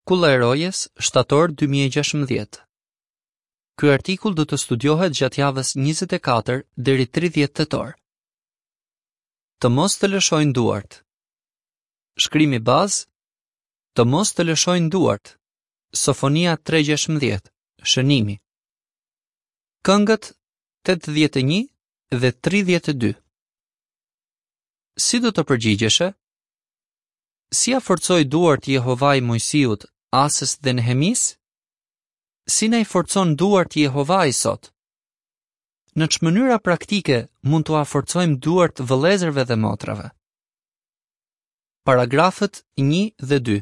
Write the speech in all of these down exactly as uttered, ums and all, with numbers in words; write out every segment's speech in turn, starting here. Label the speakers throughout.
Speaker 1: Kulla e Rojes, shtator dy mijë e gjashtëmbëdhjetë. Ky artikull do të studiohet gjatë javës njëzet e katër deri tridhjetë tetor. Të mos të lëshojnë duart. Shkrimi bazë: Të mos të lëshojnë duart. Sofonia tre gjashtëmbëdhjetë. Shënimi. Këngët tetëdhjetë e një dhe tridhjetë e dy. Si do të përgjigjeshe? Si ia forcoi duart Jehovai Moisiut, Asës dhe Nehemisë? Si na i forcon duart Jehovai sot? Në ç'mënyra praktike mund t'ua forcojmë duart vëllezërve dhe motrave? Paragrafët një dhe dy.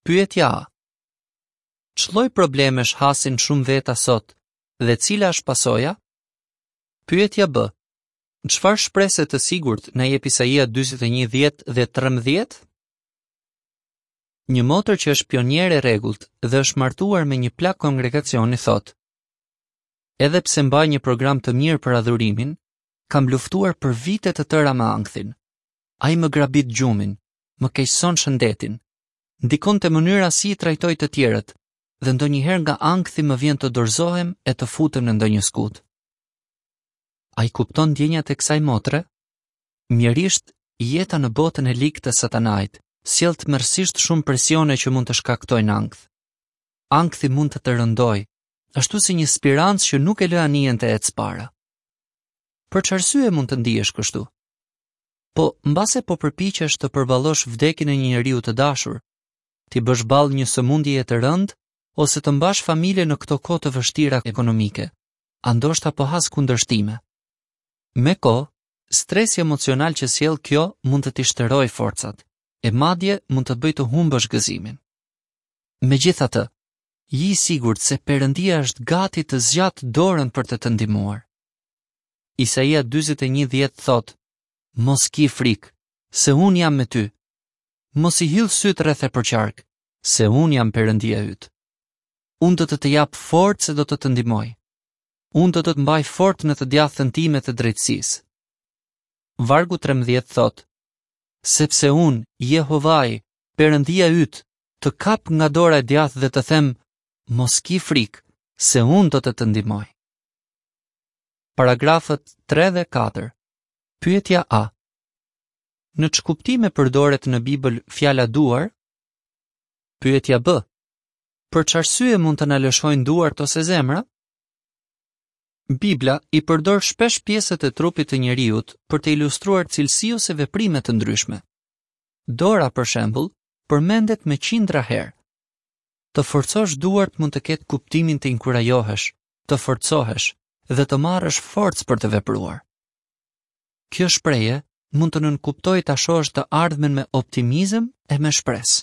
Speaker 1: Pyetja A. Ç'lloj problemesh hasin shumë veta sot dhe cila është pasoja? Pyetja B. Çfarë shprese të sigurt na jep Isaia dyzet e një dhjetë dhe trembëdhjetë? Një motër që është pioniere e rregullt dhe është martuar me një plak kongregacioni thotë: Edhe pse mbaj një program të mirë për adhurimin, kam luftuar për vite të tëra me ankthin. Ai më grabit gjumin, më keqëson shëndetin, ndikon te mënyra si i trajtoj të tjerët dhe ndonjëherë nga ankthi më vjen të dorëzohem e të futem në ndonjë skutë. A i kupton ndjenjat e kësaj motre? Mjerisht, jeta në botën e ligë të Satanait sjell tmerrësisht shumë presione që mund të shkaktojnë ankth. Ankthi mund të të rëndojë, ashtu si një spirancë që nuk e lë anijen të ecë para. Për ç'arsye mund të ndihesh kështu? Po, mbase po përpiqesh të përballosh vdekjen e një njeriu të dashur, t'i bësh ballë një sëmundjeje të rëndë ose të mbash familjen në këto kohë të vështira ekonomike, a ndoshta po has kundërshtime. Me kohë, stresi emocional që sjell kjo mund të t'i shterojë forcat, e madje mund të të bëjë të humbësh gëzimin. Megjithatë, ji i sigurt se Perëndia është gati të zgjatë dorën për të të ndihmuar. Isaia dyzet e një dhjetë thotë: Mos ki frikë, se unë jam me ty. Mos i hidh sytë rreth e përqark, se unë jam Perëndia yt. Unë do të të jap forcë e do të të ndihmoj. Unë do të të mbaj fort në të djathtën time të drejtësisë. Vargu trembëdhjetë thotë: Sepse unë, Jehovai, Perëndia yt, të kap nga dora e djathtë dhe të them, mos ki frikë, se unë do të të ndihmoj. Paragrafët tre dhe katër. Pyetja A. Në ç'kuptime përdoret në Bibël fjala duar? Pyetja B. Për ç'arsye mund të na lëshojnë duart ose zemra? Bibla i përdor shpesh pjesët e trupit të njeriut për të ilustruar cilësi ose veprime të ndryshme. Dora, për shembull, përmendet me qindra herë. Të forcosh duart mund të ketë kuptimin të inkurajohesh, të forcohesh dhe të marrësh forcë për të vepruar. Kjo shprehje mund të nënkuptojë ta shohësh të ardhmen me optimizëm e me shpresë.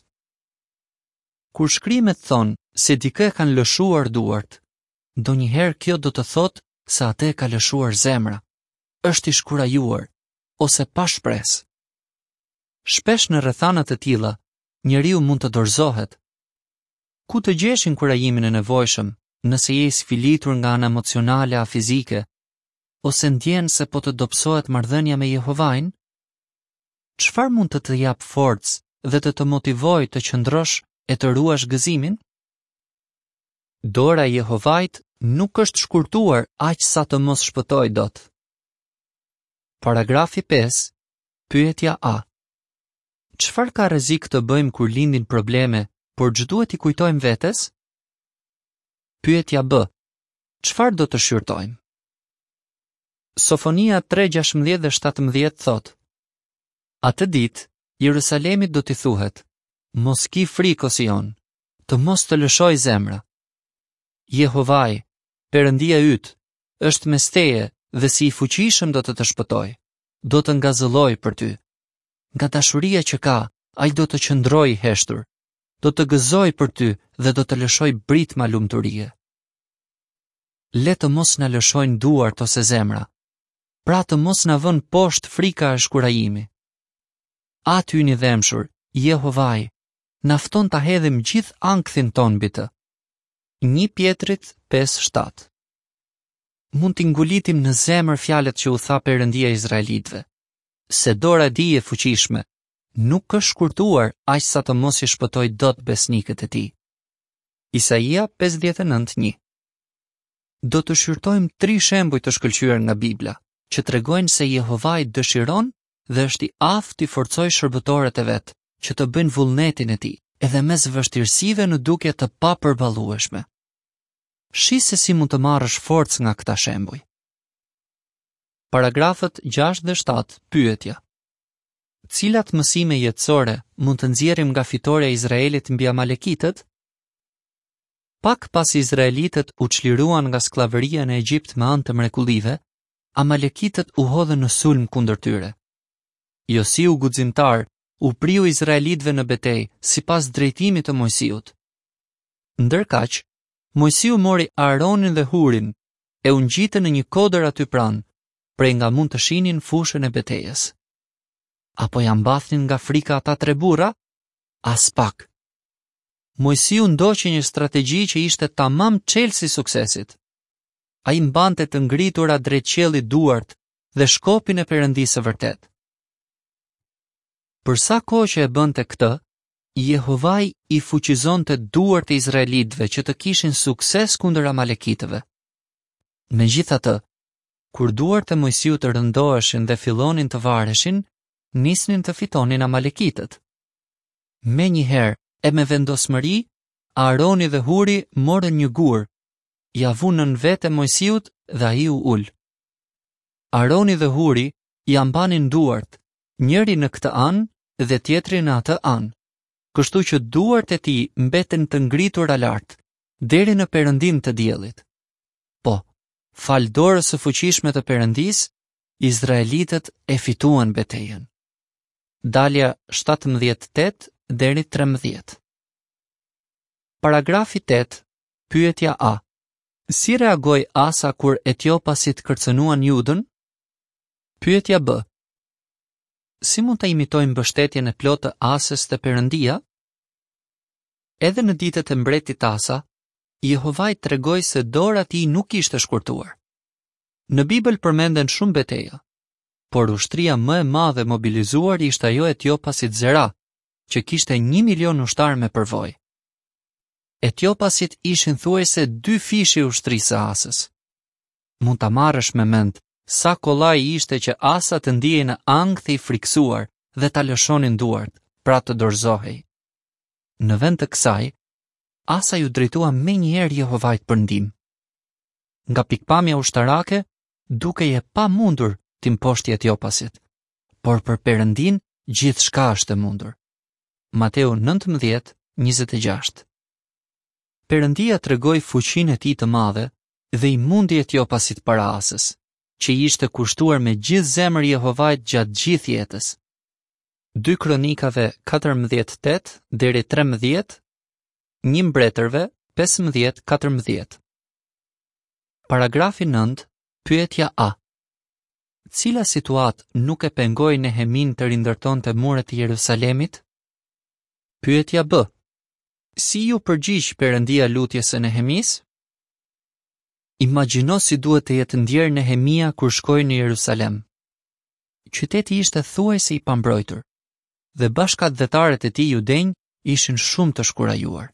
Speaker 1: Kur shkrimet thonë se dikë e kanë lëshuar duart, ndonjëherë kjo do të thotë se atë e ka lëshuar zemra, është i shkurajuar ose pa shpresë. Shpesh në rrethana të tilla, njeriu mund të dorëzohet. Ku të gjesh inkurajimin e nevojshëm, nëse je i sfilitur nga ana emocionale a fizike, ose ndjen se po të dobësohet marrëdhënia me Jehovain? Çfarë mund të të japë forcë dhe të të motivojë të qëndrosh e të ruash gëzimin? Dora e Jehovait nuk është shkurtuar aq sa të mos shpëtojë dot. Paragrafi pesë, pyetja A. Çfarë ka rrezik të bëjmë kur lindin probleme, por ç'duhet t'i kujtojmë vetes? Pyetja B. Çfarë do të shqyrtojmë? Sofonia tre gjashtëmbëdhjetë dhe shtatëmbëdhjetë thotë: Atë ditë Jerusalemit do t'i thuhet: Mos ki frikë, o Sion, të mos të lëshojë zemra. Jehovai, Perëndia yt, është mes teje dhe si i fuqishëm do të të shpëtojë, do të ngazëllojë për ty. Nga dashuria që ka, ai do të qëndrojë i heshtur, do të gëzojë për ty dhe do të lëshojë britma lumturie. Le të mos na lëshojnë duart ose zemra, pra të mos na vënë poshtë frika e shkurajimi. Ati ynë i dhembshur, Jehovai, na fton ta hedhim gjithë ankthin tonë mbi të. Një Pjetrit pesë shtatë. Mund t'i ngulitim në zemër fjalët që u tha Perëndia Izraelitëve, se dora e tij e fuqishme nuk është shkurtuar aq sa të mos i shpëtojë dot besnikët e tij. Isaia pesëdhjetë e nëntë një. Do të shqyrtojmë tri shembuj të shkëlqyer nga Bibla, që tregojnë se Jehovai dëshiron dhe është i aftë t'i forcojë shërbëtorët e vet, që të bëjnë vullnetin e tij, edhe mes vështirësive në dukje të papërballueshme. Shih se si mund të marrësh forcë nga këta shembuj. Paragrafët gjashtë dhe shtatë, pyetja. Cilat mësime jetësore mund të nxjerrim nga fitorja e Izraelit mbi Amalekitët? Pak pasi izraelitët u çliruan nga skllavëria në Egjipt me anë të mrekullive, Amalekitët u hodhën në sulm kundër tyre. Josiu guximtar u priu izraelitëve në betejë sipas drejtimit të Mojsiut. Ndërkaq, Mojsiu mori Aaronin dhe Hurin e u ngjitën në një kodër aty pranë, prej nga mund të shihnin fushën e betejës. Apo ja mbathnin nga frika ata tre burra? Aspak. Mojsiu ndoqi një strategji që ishte tamam çelësi i suksesit. Ai mbante të ngritura drejt qiellit duart dhe shkopin e Perëndisë së vërtetë. Për sa kohë që e bënte këtë, Jehovai i fuqizonte duart e izraelitëve që të kishin sukses kundër amalekitëve. Megjithatë, kur duart e Mojsiut rëndoheshin dhe fillonin të vareshin, nisnin të fitonin amalekitët. Menjëherë e me vendosmëri, Aroni dhe Huri morën një gur, ja vunë nën vete Mojsiut dhe ai u ul. Aroni dhe Huri ja mbanin duart, njëri në këtë anë dhe tjetri në atë anë, kështu që duart e tij mbeten të ngritura lart, deri në perëndim të diellit. Po, fal dorës së fuqishme të Perëndisë, izraelitët e fituan betejën. Dalja shtatëmbëdhjetë tetë deri trembëdhjetë. Paragrafi tetë, pyetja A. Si reagoi Asa kur etiopasit kërcënuan Judën? Pyetja B. Si mund ta imitojmë mbështetjen e plotë të Asës te Perëndia? Edhe në ditët e mbretit Asa, Jehovai tregoi se dora e tij nuk ishte shkurtuar. Në Bibël përmenden shumë beteja, por ushtria më e madhe mobilizuar ishte ajo e etiopasit Zera, që kishte një milion ushtarë me përvojë. Etiopasit ishin thuajse dy fishi i ushtrisë së Asës. Mund ta marrësh me mend sa kollaj ishte që Asa të ndihej në ankth i frikësuar dhe ta lëshonin duart, pra të dorëzohej. Në vend të kësaj, Asa ju drejtua menjëherë Jehovait për ndihmë. Nga pikpamja ushtarake, dukej e pamundur t'i mposhti etiopasit, por për Perëndin gjithçka është e mundur. Mateu nëntëmbëdhjetë, njëzet e gjashtë. Perëndia tregoi fuqinë e tij të madhe dhe i mundi etiopasit para Asës, që i ishte kushtuar me gjithë zemër Jehovait gjatë gjithë jetës. Dy Kronikave katërmbëdhjetë tetë deri trembëdhjetë, një Mbretërve pesëmbëdhjetë katërmbëdhjetë. Paragrafi nëntë, pyetja A. Cila situatë nuk e pengoi Nehemin të rindërtonte muret e Jerusalemit? Pyetja B. Si ju përgjigj Perëndia lutjes së Nehemisë? Imagjino si duhet të jetë ndjerë Nehemia kur shkoi në Jerusalem. Qyteti ishte thuajse i pambrojtur dhe bashkatdhetarët e tij judenj ishin shumë të shkurajuar.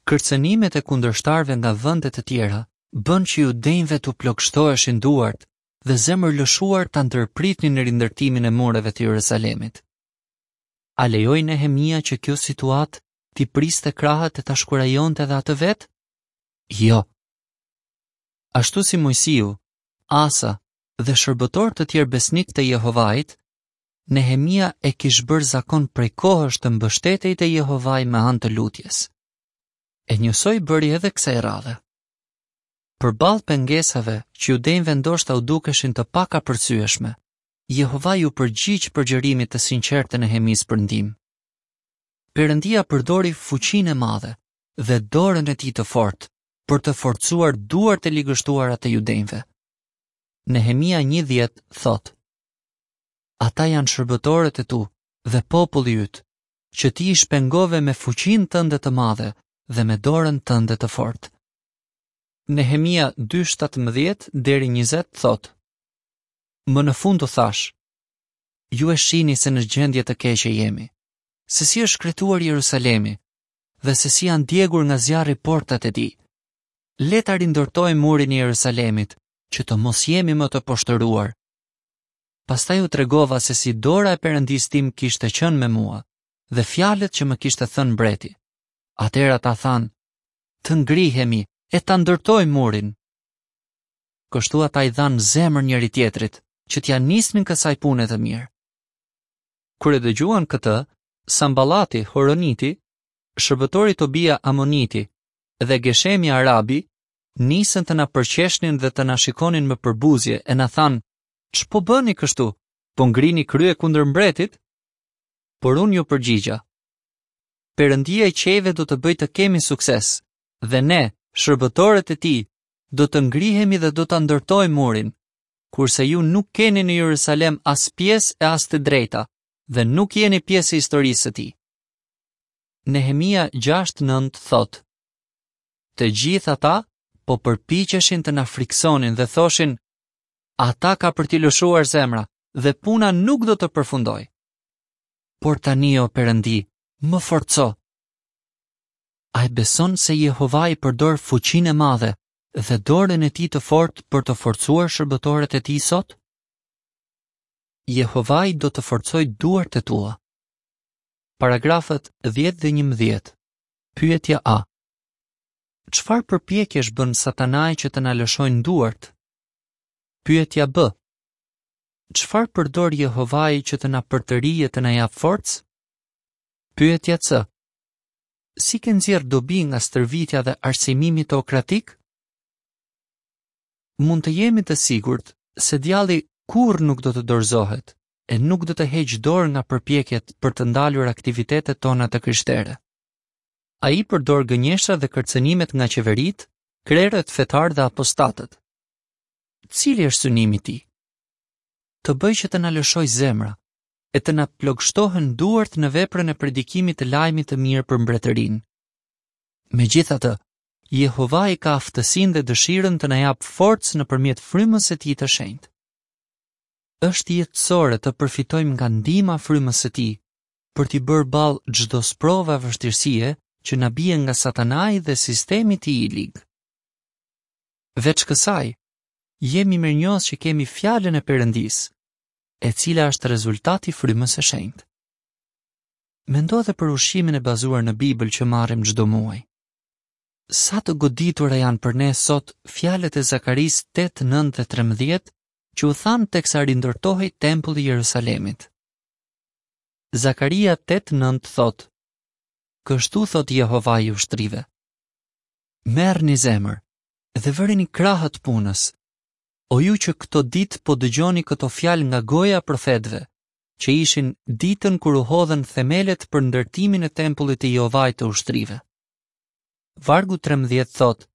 Speaker 1: Kërcënimet e kundërshtarëve nga vende të tjera bën që judenjve t'u plogështoheshin duart dhe zemër lëshuar ta ndërpritnin rindërtimin e mureve të Jerusalemit. A lejoi Nehemia që kjo situatë t'i priste krahët e ta shkurajonte edhe atë vetë? Jo. Ashtu si Mojsiu, Asa dhe shërbëtorë të tjerë besnik të Jehovait, Nehemia e kish bërë zakon prej kohësh të mbështetej te Jehovai me anë të lutjes. E njësoj bëri edhe kësaj radhe. Përballë pengesave që judenjve ndoshta u dukeshin të pakapërcyeshme, Jehovai u përgjigj përgjërimit të sinqertë të Nehemisë për ndihmë. Perëndia përdori fuqinë e madhe dhe dorën e tij të fortë për të forcuar duart e ligështuara të judenjve. Nehemia një dhjetë thotë: Ata janë shërbëtorët e tu dhe populli yt, që ti i shpengove me fuqinë tënde të madhe dhe me dorën tënde të fortë. Nehemia dy shtatëmbëdhjetë deri njëzet thotë: Më në fund u thash, ju e shihni se në gjendje të keqe jemi, se si është shkretuar Jerusalemi dhe se si janë djegur nga zjarri portat e tij. Le ta rindërtojmë murin e Jerusalemit, që të mos jemi më të poshtëruar. Pastaj u tregova se si dora e Perëndisë tim kishte qenë me mua dhe fjalët që më kishte thënë mbreti. Atëherë ata thanë: Të ngrihemi e ta ndërtojmë murin. Kështu ata i dhanë zemër njëri tjetrit, që t'ia nisnin kësaj pune të mirë. Kur e dëgjuan këtë, Samballati, Horoniti, shërbëtori Tobia Amoniti dhe Geshemi Arabi nisën të na përqeshnin dhe të na shikonin me përbuzje e na thanë: "Ç'po bëni kështu? Po ngrini krye kundër mbretit?" Por unë ju përgjigja: Perëndia e qiejve do të bëjë të kemi sukses, dhe ne, shërbëtorët e tij, do të ngrihemi dhe do ta ndërtojmë murin, kurse ju nuk keni në Jerusalem as pjesë e as të drejta, dhe nuk jeni pjesë e historisë së tij. Nehemia gjashtë nëntë thotë: Të gjithë ata po përpiqeshin të na friksonin dhe thoshin: Ata ka për t'i lëshuar zemra dhe puna nuk do të përfundojë. Por tani, o Perëndi, më forco. A e beson se Jehovai përdor fuqinë e madhe dhe dorën e tij të fortë për të forcuar shërbëtorët e tij sot? Jehovai do të forcojë duart e tua. Paragrafët dhjetë dhe njëmbëdhjetë. Pyetja A. Çfarë përpjekjesh bën Satanai që të na lëshojnë duart? Pyetja B. Çfarë përdor Jehovai që të na përtërijë e të na japë forcë? Pyetja C. Si ke nxjerrë dobi nga stërvitja dhe arsimimi teokratik? Mund të jemi të sigurt se djalli kurrë nuk do të dorëzohet e nuk do të heqë dorë nga përpjekjet për të ndalur aktivitetet tona të krishtere. Ai përdor gënjeshtra dhe kërcënimet nga qeveritë, krerët fetarë dhe apostatët. Cili është synimi i tij? Të bëjë që të na lëshojë zemra e të na plogështohen duart në veprën e predikimit të lajmit të mirë për mbretërinë. Megjithatë, Jehovai ka aftësinë dhe dëshirën të na japë forcë nëpërmjet frymës së tij të shenjtë. Është jetësore të përfitojmë nga ndihma frymës së tij për t'i bërë ballë çdo sprove vështirësie që na bie nga Satanai dhe sistemi i tij i lig. Veç kësaj, jemi mirënjohës që kemi fjalën e Perëndisë, e cila është rezultati i frymës së shenjtë. Mendo edhe për ushqimin e bazuar në Bibël që marrim çdo muaj. Sa të goditura janë për ne sot fjalët e Zakarisë tetë, nëntë dhe trembëdhjetë që u thanë teksa rindërtohej tempulli i Jerusalemit. Zakaria tetë nëntë thotë: Kështu thotë Jehovai i ushtrive: Merrni zemër dhe vëreni krahët punës, o ju që këto ditë po dëgjoni këto fjalë nga goja e profetëve, që ishin ditën kur u hodhën themelet për ndërtimin e tempullit të Jehovait të ushtrive. Vargu trembëdhjetë thotë: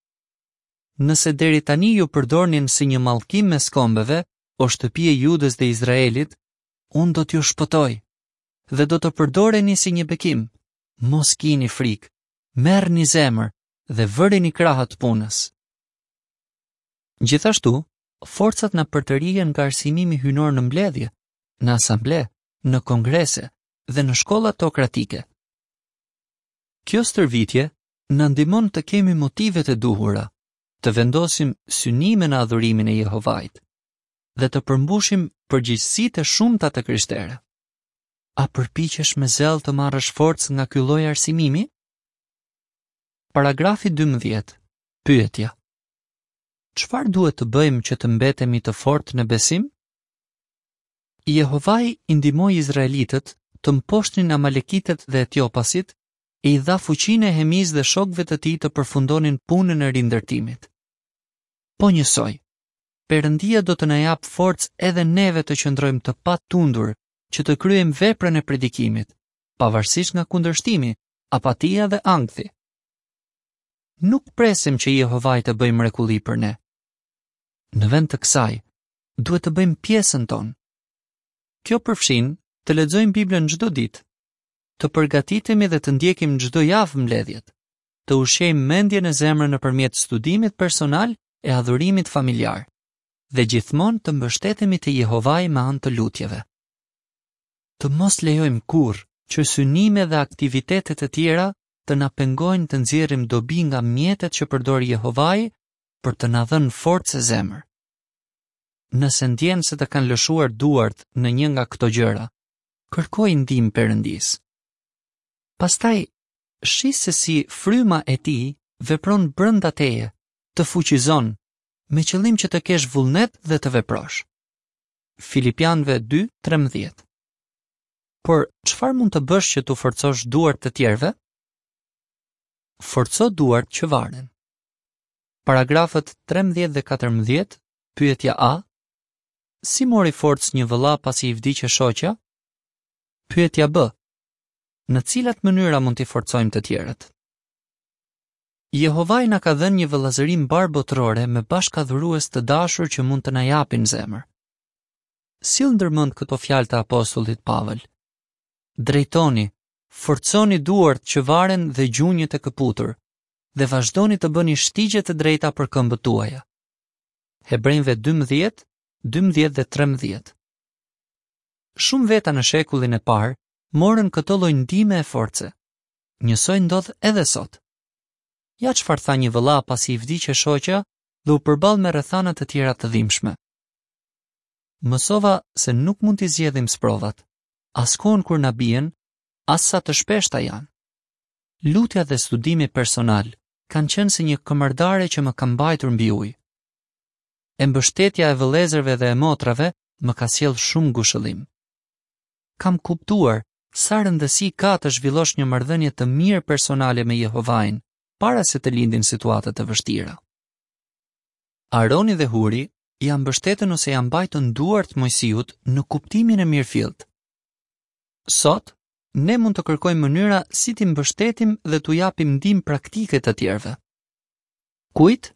Speaker 1: Nëse deri tani ju përdornin si një mallkim mes kombeve, o shtëpi e Judës dhe Izraelit, unë do t'ju shpëtoj dhe do të përdoreni si një bekim. Mos kini frikë, merrni zemër dhe vëreni krahët punës. Gjithashtu, forcat na përtërihen nga arsimimi hyjnor në mbledhje, në asamble, në kongrese dhe në shkolla teokratike. Kjo stërvitje na ndihmon të kemi motivet e duhura, të vendosim synime në adhurimin e Jehovait dhe të përmbushim përgjegjësitë e shumta të krishtere. A përpiqesh me zell të marrësh forcë nga ky lloj arsimimi? Paragrafi dymbëdhjetë. Pyetja: Çfarë duhet të bëjmë që të mbetemi të fortë në besim? Jehovai i ndihmoi izraelitët të mposhtnin amalekitët dhe etiopasit e i dha fuqinë Nehemisë dhe shokëve të tij të përfundonin punën e rindërtimit. Po njësoj, Perëndia do të na japë forcë edhe neve të qëndrojmë të patundur që të kryejmë veprën e predikimit, pavarësisht nga kundërshtimi, apatia dhe ankthi. Nuk presim që Jehovai të bëjë mrekulli për ne. Në vend të kësaj, duhet të bëjmë pjesën tonë. Kjo përfshin të lexojmë Biblën çdo ditë, të përgatitemi dhe të ndjekim çdo javë mbledhjet, të ushqejmë mendjen e zemrën nëpërmjet studimit personal e adhurimit familjar, dhe gjithmonë të mbështetemi te Jehovai me anë të lutjeve. Të mos lejojmë kurrë që synime dhe aktivitete të tjera të na pengojnë të nxjerrim dobi nga mjetet që përdor Jehovai për të na dhënë forcë e zemër. Nëse ndjen se të kanë lëshuar duart në një nga këto gjëra, kërkoj ndihmë Perëndisë. Pastaj, shih se si fryma e tij vepron brenda teje, të fuqizon, me qëllim që të kesh vullnet dhe të veprosh. Filipianëve dy trembëdhjetë. Por çfarë mund të bësh që t'u forcosh duart të tjerëve? Forco duart që varen. Paragrafët trembëdhjetë dhe katërmbëdhjetë, pyetja A. Si mori forcë një vëlla pasi i vdiq e shoqja? Pyetja B. Në cilat mënyra mund t'i forcojmë të tjerët? Jehovai na ka dhënë një vëllazëri mbarëbotërore me bashkadhurues të dashur që mund të na japin zemër. Sill ndërmend këto fjalë të apostullit Pavel. Drejtoni, forconi duart që varen dhe gjunjët e këputur, dhe vazhdoni të bëni shtigje të drejta për këmbët tuaja. Hebrejve dymbëdhjetë, dymbëdhjetë dhe trembëdhjetë. Shumë veta në shekullin e parë morën këto lloj ndihme e force. Njësoj ndodh edhe sot. Ja çfarë tha një vëlla pasi i vdiq e shoqja dhe u përball me rrethana të tjera të dhimbshme. Mësova se nuk mund t'i zgjedhim sprovat, as kohën kur na bien, as sa të shpeshta janë. Lutja dhe studimi personal kanë qenë si një këmërdare që më ka mbajtur mbi ujë. E mbështetja e vëllezërve dhe e motrave më ka sjellë shumë ngushëllim. Kam kuptuar sa rëndësi ka të zhvillosh një marrëdhënie të mirë personale me Jehovain para se të lindin situata të vështira. Aroni dhe Huri ia mbështetën ose ia mbajtën duart Mojsiut në kuptimin e mirëfillt. Sot, ne mund të kërkojmë mënyra si t'i mbështetim dhe t'u japim ndihmë praktike të tjerëve. Kujt?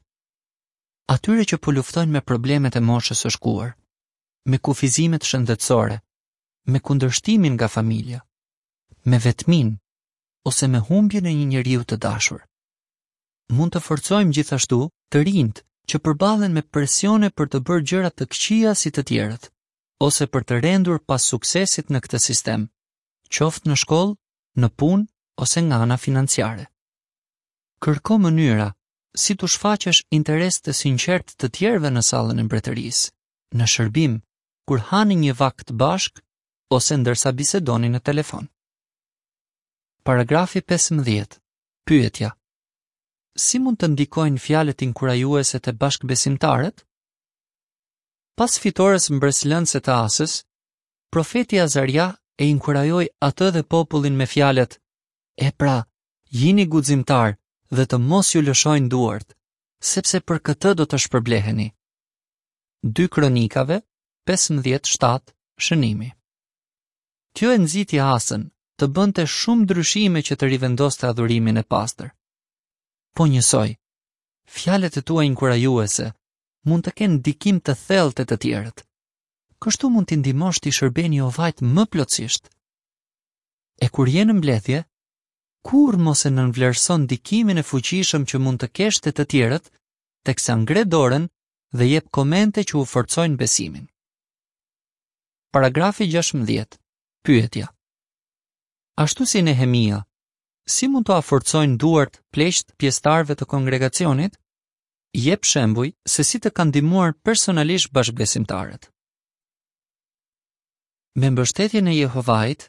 Speaker 1: Atyre që po luftojnë me problemet e moshës së shkuar, me kufizimet shëndetësore, me kundërshtimin nga familja, me vetmin ose me humbjen e një njeriu të dashur. Mund të forcojmë gjithashtu të rinjt që përballen me presione për të bërë gjëra të këqija si të tjerët, ose për të rendur pas suksesit në këtë sistem, qoftë në shkollë, në punë ose nga ana financiare. Kërko mënyra si t'u shfaqesh interes të sinqert të tjerëve në sallën e mbretërisë, në shërbim, kur hani një vakt bashk ose ndërsa bisedoni në telefon. Paragrafi pesëmbëdhjetë. Pyetja: Si mund të ndikojnë fjalët inkurajuese te bashkëbesimtarët? Pas fitores mbresëlënëse të Asës, profeti Azaria e inkurajoi atë dhe popullin me fjalët: E pra, jini guximtar dhe të mos ju lëshojnë duart, sepse për këtë do të shpërbleheni. Dy Kronikave, pesëmbëdhjetë shtatë, shënimi. Kjo e nxiti Asën të bënte shumë ndryshime që të rivendoste adhurimin e pastër. Po njësoj, fjalët e tua inkurajuese mund të kenë ndikim të thellë te të tjerët. Kështu mund t'i ndihmosh t'i shërbeni Jehovait më plotësisht. E kur je në mbledhje, kurrë mos e nënvlerëson ndikimin e fuqishëm që mund të kesh te të tjerët, teksa ngre dorën dhe jep komente që u forcojnë besimin. Paragrafi gjashtëmbëdhjetë. Pyetja: Ashtu si Nehemia, si mund të forcojnë duart pleqt pjesëtarëve të kongregacionit? Jep shembuj se si të kanë ndihmuar personalisht bashkëbesimtarët. Me mbështetjen e Jehovait,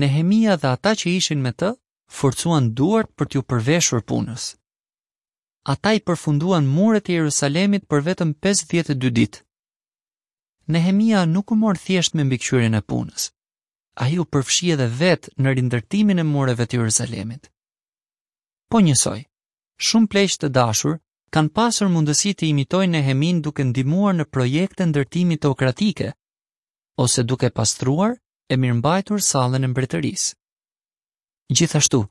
Speaker 1: Nehemia dhe ata që ishin me të forcuan duart për t'ju përveshur punës. Ata i përfunduan muret e Jerusalemit për vetëm pesëdhjetë e dy ditë. Nehemia nuk u mor thjesht me mbikëqyrjen e punës. Ai u përfshi edhe vetë në rindërtimin e mureve të Jerusalemit. Po njësoj, shumë pleq të dashur kanë pasur mundësi të imitojnë Nehemin duke ndihmuar në projekte ndërtimi teokratike ose duke pastruar e mirëmbajtur sallën e mbretërisë. Gjithashtu,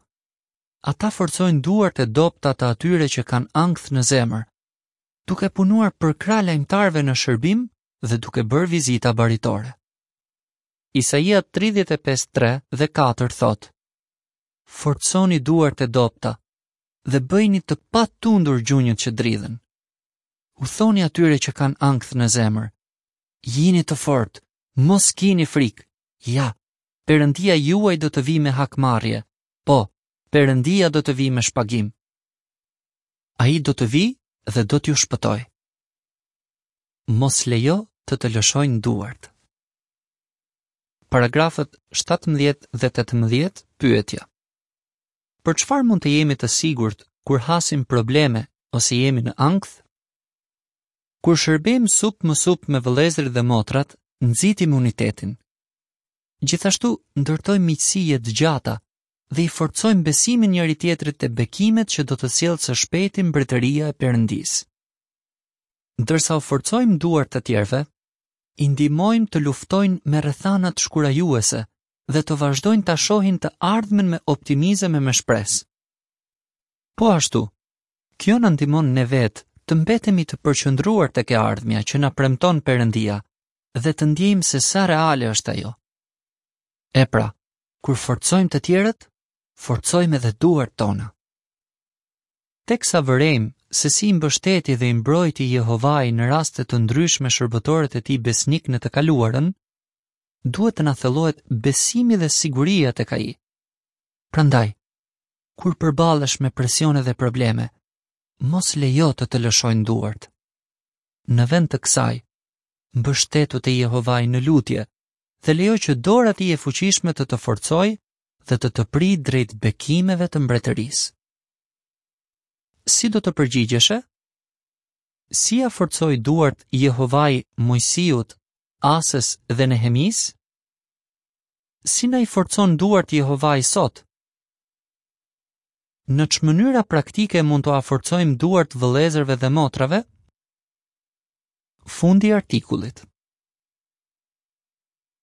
Speaker 1: ata forcojnë duart e dobta të atyre që kanë ankth në zemër, duke punuar përkrah lajmëtarëve në shërbim dhe duke bërë vizita baritore. Isaia tridhjetë e pesë tre dhe katër thotë: Forconi duart e dobta dhe bëjini të patundur gjunjët që dridhen. U thoni atyre që kanë ankth në zemër: Jini të fortë, mos kini frikë. Ja, Perëndia juaj do të vijë me hakmarrje. Po, Perëndia do të vijë me shpagim. Ai do të vijë dhe do t'ju shpëtojë. Mos lejo të të lëshojnë duart. Paragrafët shtatëmbëdhjetë dhe tetëmbëdhjetë, pyetja. Për çfarë mund të jemi të sigurt kur hasim probleme ose jemi në ankth? Kur shërbejmë sup më sup me vëllezërit dhe motrat, nxitim unitetin. Gjithashtu ndërtojmë miqësi jetëgjata dhe i forcojmë besimin njëri-tjetrit te bekimet që do të sjellë së shpejti mbretëria e Perëndisë. Ndërsa u forcojmë duart të tjerëve, i ndihmojmë të luftojnë me rrethanat shkurajuese dhe të vazhdojnë ta shohin të ardhmen me optimizëm e me shpresë. Po ashtu, kjo na ndihmon ne vetë të mbetemi të përqendruar tek e ardhmja që na premton Perëndia dhe të ndjejmë se sa reale është ajo. E pra, kur forcojmë të tjerët, forcojmë edhe duart tona. Teksa vërejmë se si i mbështeti dhe i mbrojti Jehovai në raste të ndryshme shërbëtorët e tij besnikë në të kaluarën, duhet të na thellohet besimi dhe siguria tek ai. Prandaj, kur përballesh me presione dhe probleme, mos lejo të të lëshojnë duart. Në vend të kësaj, mbështetu te Jehovai në lutje dhe lejo që dora e tij e fuqishme të të forcojë dhe të të prijë drejt bekimeve të mbretërisë. Si do të përgjigjeshe? Si ia forcoi duart Jehovai Moisiut, Asës dhe Nehemisë? Si na i forcon duart Jehovai sot? Në ç'mënyra praktike mund t'ua forcojmë duart vëllezërve dhe motrave? Fundi i artikullit.